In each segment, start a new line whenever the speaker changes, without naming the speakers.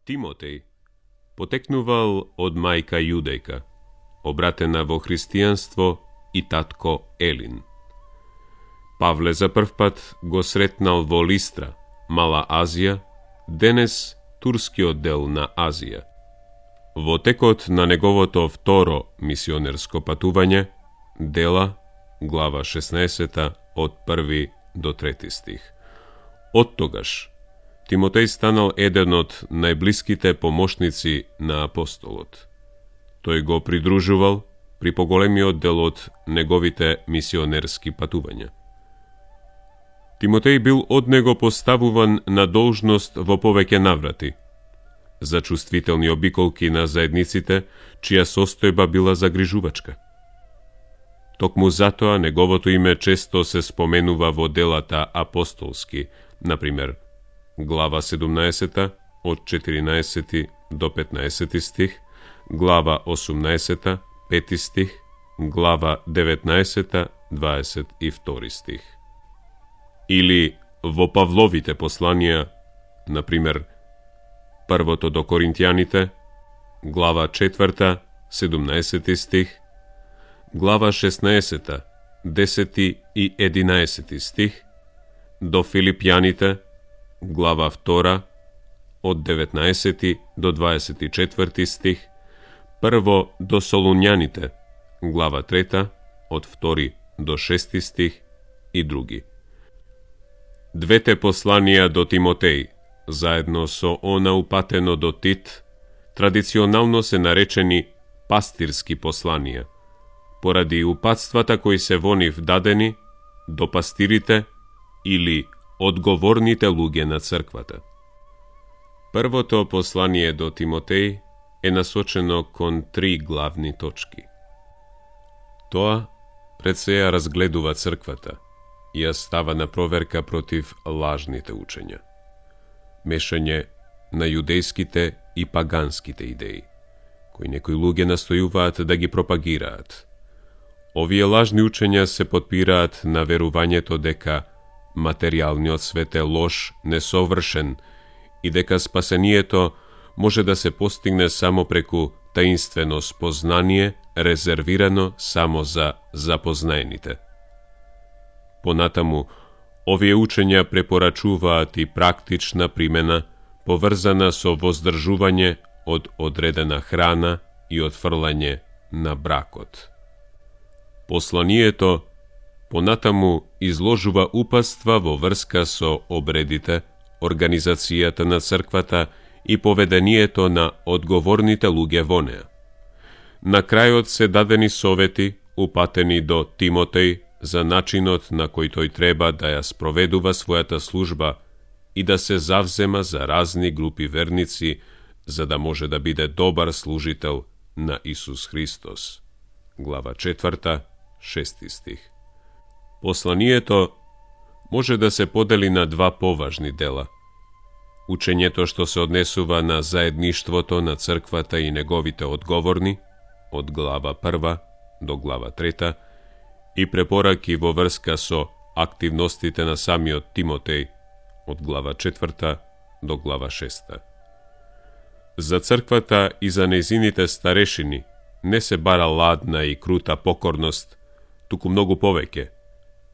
Тимотеј потекнувал од мајка јудејка, обратена во христијанство и татко Елин. Павле за прв пат го сретнал во Листра, Мала Азија, денес турскиот дел на Азија. Во текот на неговото второ мисионерско патување, Дела, глава 16, од 1 до 3 стих. Оттогаш, Тимотеј станал еден од најблиските помошници на апостолот. Тој го придружувал при поголемиот дел од неговите мисионерски патувања. Тимотеј бил од него поставуван на должност во повеќе наврати, за чувствителни обиколки на заедниците, чија состојба била загрижувачка. Токму затоа неговото име често се споменува во делата апостолски, например, глава 17 од 14 до 15 стих, глава 18, 5 стих, глава 19, 22 стих. Или во Павловите посланија, например, првото до Коринтијаните, глава 4, 17 стих, глава 16, 10 и 11 стих, до Филипјаните, глава 2, од 19 до 24 стих, прво до Солуњаните, глава 3, од 2 до 6 стих и други. Двете посланија до Тимотеј, заедно со она упатено до Тит, традиционално се наречени пастирски посланија, поради упатствата кои се во нив дадени до пастирите или одговорните луѓе на црквата. Првото послание до Тимотеј е насочено кон 3 главни точки. Тоа пред се ја разгледува црквата и ја става на проверка против лажните учења, мешање на јудејските и паганските идеи, кои некои луѓе настојуваат да ги пропагираат. Овие лажни учења се потпираат на верувањето дека материјалниот свет е лош, несовршен и дека спасението може да се постигне само преку таинствено спознание, резервирано само за запознаените. Понатаму, овие учења препорачуваат и практична примена, поврзана со воздржување од одредена храна и отфрлање на бракот. Посланието понатаму изложува упатства во врска со обредите, организацијата на црквата и поведението на одговорните луѓе во неа. На крајот се дадени совети, упатени до Тимотеј, за начинот на кој тој треба да ја спроведува својата служба и да се завзема за разни групи верници, за да може да биде добар служител на Исус Христос. Глава 4, 6 стих. Посланието може да се подели на 2 поважни дела. Учењето што се однесува на заедништвото на црквата и неговите одговорни, од глава 1 до глава 3, и препораки во врска со активностите на самиот Тимотеј, од глава 4 до глава 6. За црквата и за нејзините старешини не се бара ладна и крута покорност, туку многу повеќе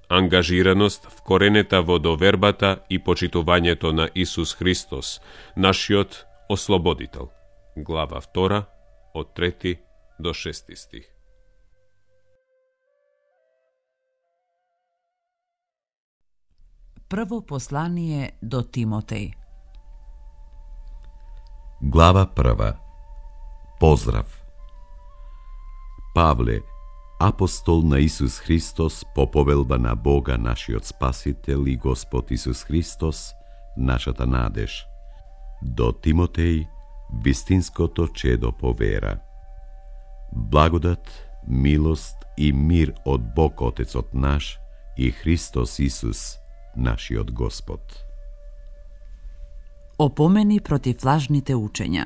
ангажираност вкоренета во довербата и почитувањето на Исус Христос, нашиот ослободител. Глава 2, од 3 до 6 стих.
Прво послание до Тимотеј.
Глава 1. Поздрав. Павле, апостол на Исус Христос по повелба на Бога, нашиот Спасител и Господ Исус Христос, нашата надеж. До Тимотеј, вистинското чедо по вера. Благодат, милост и мир од Бог Отецот наш и Христос Исус, нашиот Господ.
Опомени против лажните учења.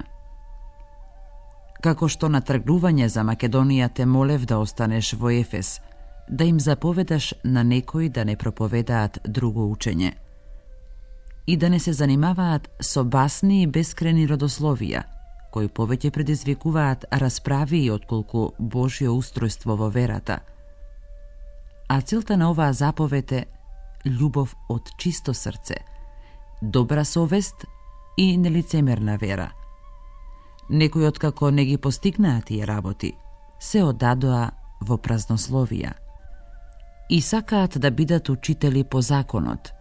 Како што на тргнување за Македонија те молев да останеш во Ефес, да им заповедаш на некои да не проповедаат друго учење. и да не се занимаваат со басни и бескрени родословија, кои повеќе предизвикуваат расправи и отколку Божјо устројство во верата. А целта на оваа заповед е љубов од чисто срце, добра совест и нелицемерна вера. Некои откако не ги постигнаа тие работи, се одадоа во празнословија и сакаат да бидат учители по законот,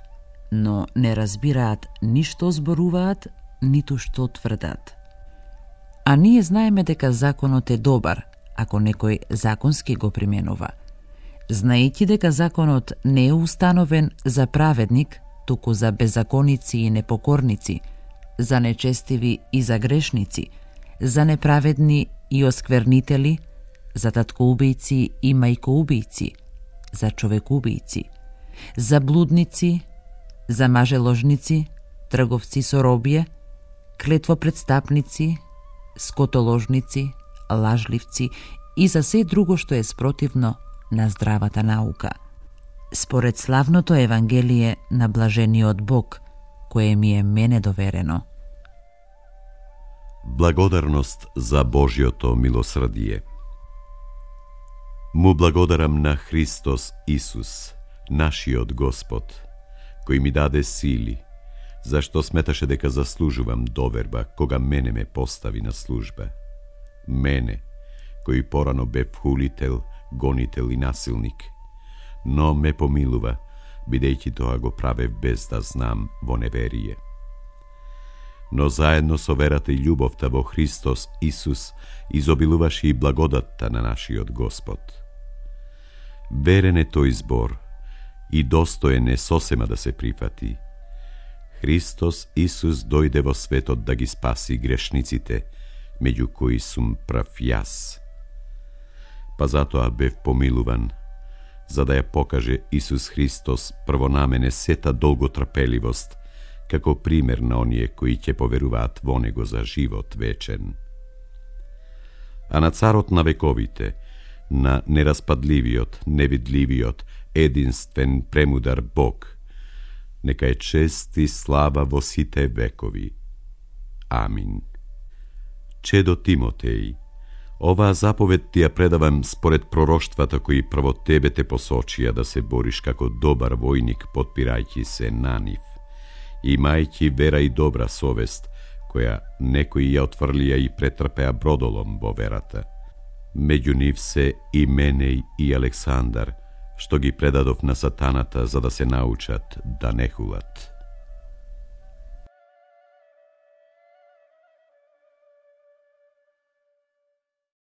но не разбираат ништо зборуваат, ниту што тврдат. А ние знаеме дека законот е добар, ако некој законски го применува, знаејќи дека законот не е установен за праведник, туку за беззаконици и непокорници, за нечестиви и за грешници, за неправедни и осквернители, за таткоубијци и мајкоубијци, за човекубијци, за блудници, за мажеложници, трговци со робје, клетвопредстапници, скотоложници, лажливци и за се друго што е спротивно на здравата наука. Според славното Евангелие на блажениот Бог, кое ми е мене доверено.
Благодарност за Божјото милосрдие. Му благодарам на Христос Исус, нашиот Господ, кој ми даде сили, зашто сметаше дека заслужувам доверба кога мене ме постави на служба. Мене, кој порано бев хулител, гонител и насилник, но ме помилува, бидејќи тоа го правев без да знам во неверие. Но заедно со верата и љубовта во Христос Исус изобилуваше и благодатта на нашиот Господ. Верен е тој збор и достоен е сосема да се прифати. Христос Исус дојде во светот да ги спаси грешниците, меѓу кои сум прав јас. Па затоа бев помилуван, за да ја покаже Исус Христос прво на мене сета долготрпеливост, како пример на оние кои ќе поверуваат во Него за живот вечен. А на царот на вековите, на нераспадливиот, невидливиот, единствен, премудар Бог, нека е чест и слава во сите векови. Амин. Чедо Тимотеј, оваа заповед ти ја предавам според пророштвата кои прво тебе те посочија да се бориш како добар војник, потпирајќи се на нив, имајќи вера и добра совест, која некои ја отврлија и претрпеа бродолом во верата. Меѓу нив се и Менеј и Александар, што ги предадов на сатаната за да се научат да не хулат.